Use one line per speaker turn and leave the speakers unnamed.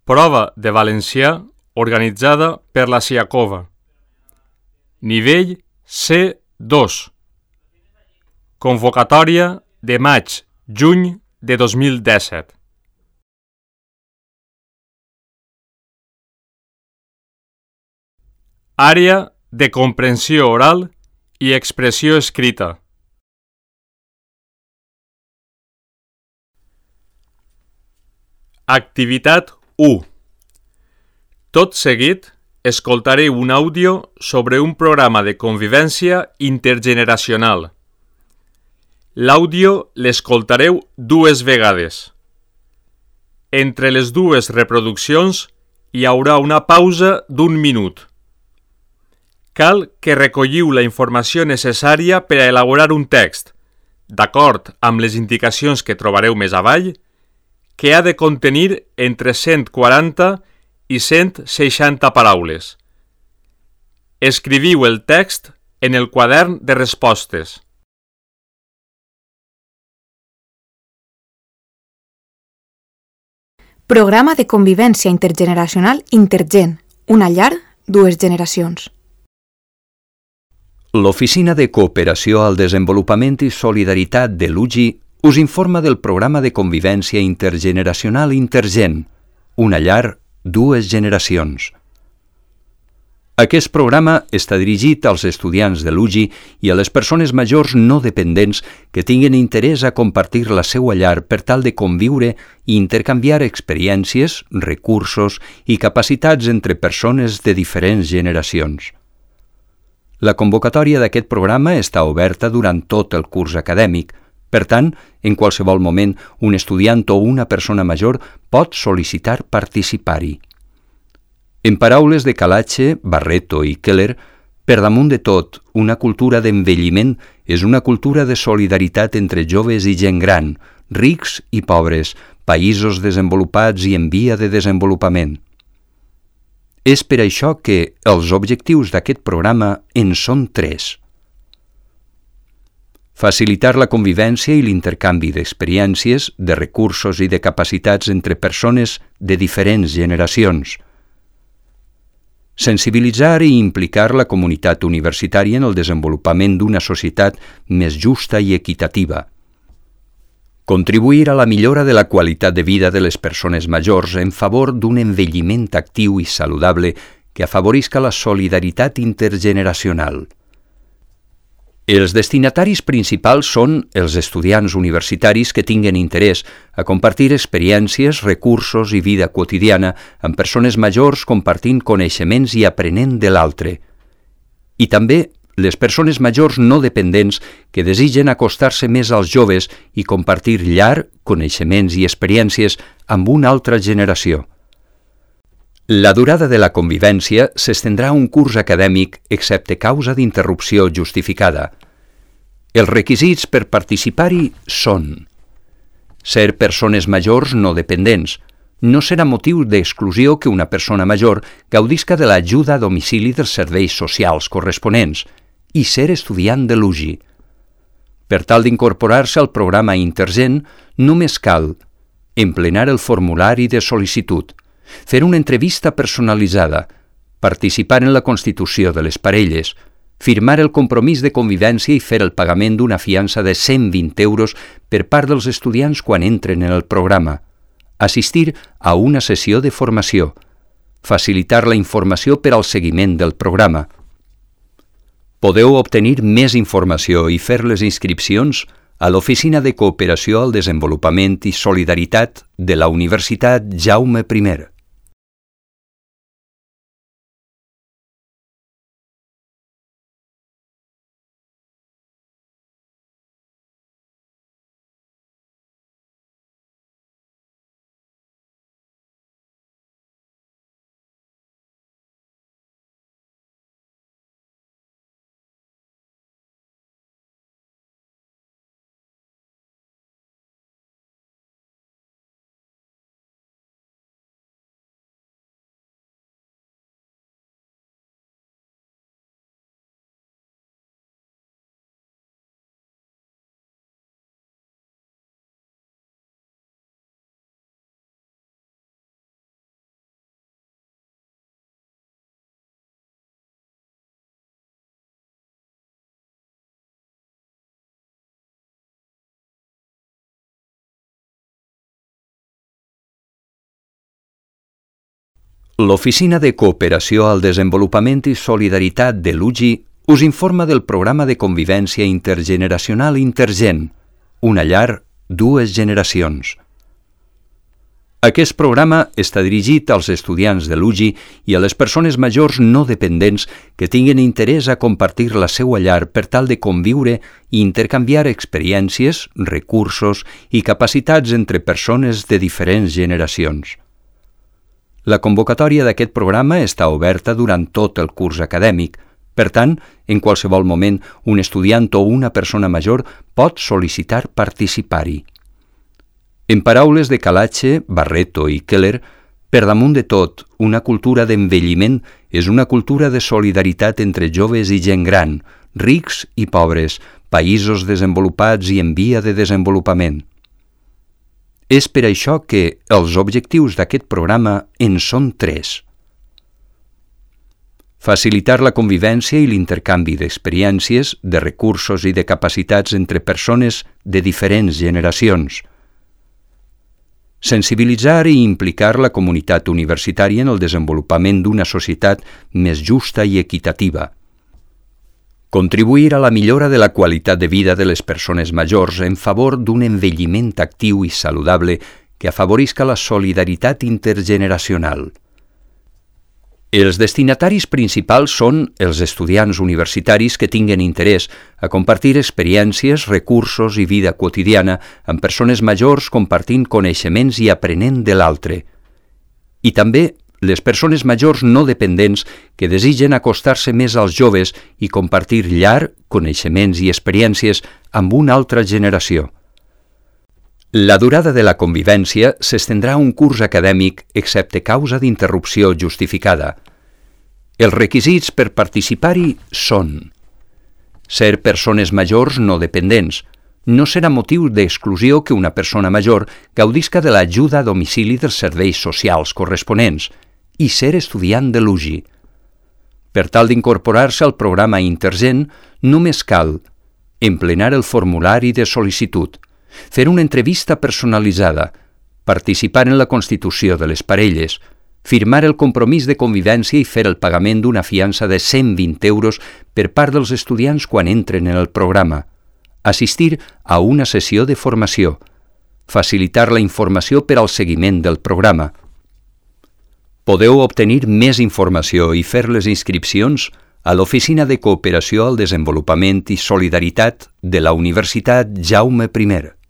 Prova de valencià organitzada per la Siacova. Nivell C2. Convocatòria de maig-juny de 2017. Àrea de comprensió oral i expressió escrita. Activitat 1. Tot seguit, escoltareu un àudio sobre un programa de convivència intergeneracional. L'àudio l'escoltareu 2 vegades. Entre les 2 reproduccions hi haurà una pausa d'1 minut. Cal que recolliu la informació necessària per a elaborar un text, d'acord amb les indicacions que trobareu més avall, que ha de contenir entre 140 i 160 paraules. Escriviu el text en el quadern de respostes.
Programa de convivència intergeneracional Intergen, una llar, 2 generacions.
L'Oficina de Cooperació al Desenvolupament i Solidaritat de l'UGI us informa del programa de convivència intergeneracional Intergen, una llar, 2 generacions. Aquest programa està dirigit als estudiants de l'UGI i a les persones majors no dependents que tinguin interès a compartir la seva llar per tal de conviure i intercanviar experiències, recursos i capacitats entre persones de diferents generacions. La convocatòria d'aquest programa està oberta durant tot el curs acadèmic. Per tant, en qualsevol moment, un estudiant o una persona major pot sol·licitar participar-hi. En paraules de Calache, Barreto i Keller, per damunt de tot, una cultura d'envelliment és una cultura de solidaritat entre joves i gent gran, rics i pobres, països desenvolupats i en via de desenvolupament. És per això que els objectius d'aquest programa en són 3. Facilitar la convivència i l'intercanvi d'experiències, de recursos i de capacitats entre persones de diferents generacions. Sensibilitzar i implicar la comunitat universitària en el desenvolupament d'una societat més justa i equitativa. Contribuir a la millora de la qualitat de vida de les persones majors en favor d'un envelliment actiu i saludable que afavorisca la solidaritat intergeneracional. Els destinataris principals són els estudiants universitaris que tinguen interès a compartir experiències, recursos i vida quotidiana amb persones majors compartint coneixements i aprenent de l'altre. I també les persones majors no dependents que desitgen acostar-se més als joves i compartir llar, coneixements i experiències amb una altra generació. La durada de la convivència s'estendrà un curs acadèmic excepte causa d'interrupció justificada. Els requisits per participar-hi són: ser persones majors no dependents. No serà motiu d'exclusió que una persona major gaudisca de l'ajuda a domicili dels serveis socials corresponents i ser estudiant de l'UGI. Per tal d'incorporar-se al programa Intergen, només cal emplenar el formulari de sol·licitud, fer una entrevista personalitzada, participar en la constitució de les parelles, firmar el compromís de convivència i fer el pagament d'una fiança de 120 euros per part dels estudiants quan entren en el programa, assistir a una sessió de formació, facilitar la informació per al seguiment del programa. Podeu obtenir més informació i fer les inscripcions a l'Oficina de Cooperació al Desenvolupament i Solidaritat de la Universitat Jaume I. L'Oficina de Cooperació al Desenvolupament i Solidaritat de l'UGI us informa del programa de convivència intergeneracional Intergen, una llar, dues generacions. Aquest programa està dirigit als estudiants de l'UGI i a les persones majors no dependents que tinguin interès a compartir la seva llar per tal de conviure i intercanviar experiències, recursos i capacitats entre persones de diferents generacions. La convocatòria d'aquest programa està oberta durant tot el curs acadèmic. Per tant, en qualsevol moment, un estudiant o una persona major pot sol·licitar participar-hi. En paraules de Calache, Barreto i Keller, per damunt de tot, una cultura d'envelliment és una cultura de solidaritat entre joves i gent gran, rics i pobres, països desenvolupats i en via de desenvolupament. És per això que els objectius d'aquest programa en són 3. Facilitar la convivència i l'intercanvi d'experiències, de recursos i de capacitats entre persones de diferents generacions. Sensibilitzar i implicar la comunitat universitària en el desenvolupament d'una societat més justa i equitativa. Contribuir a la millora de la qualitat de vida de les persones majors en favor d'un envelliment actiu i saludable que afavorisca la solidaritat intergeneracional. Els destinataris principals són els estudiants universitaris que tinguen interès a compartir experiències, recursos i vida quotidiana amb persones majors compartint coneixements i aprenent de l'altre. I també les persones majors no dependents que desitgen acostar-se més als joves i compartir llar, coneixements i experiències amb una altra generació. La durada de la convivència s'estendrà un curs acadèmic excepte causa d'interrupció justificada. Els requisits per participar-hi són: ser persones majors no dependents. No serà motiu d'exclusió que una persona major gaudisca de l'ajuda a domicili dels serveis socials corresponents i ser estudiant de l'UGI. Per tal d'incorporar-se al programa Intergen, només cal emplenar el formulari de sol·licitud, fer una entrevista personalitzada, participar en la constitució de les parelles, firmar el compromís de convivència i fer el pagament d'una fiança de 120 euros per part dels estudiants quan entren en el programa, assistir a una sessió de formació, facilitar la informació per al seguiment del programa. Podeu obtenir més informació i fer les inscripcions a l'Oficina de Cooperació al Desenvolupament i Solidaritat de la Universitat Jaume I.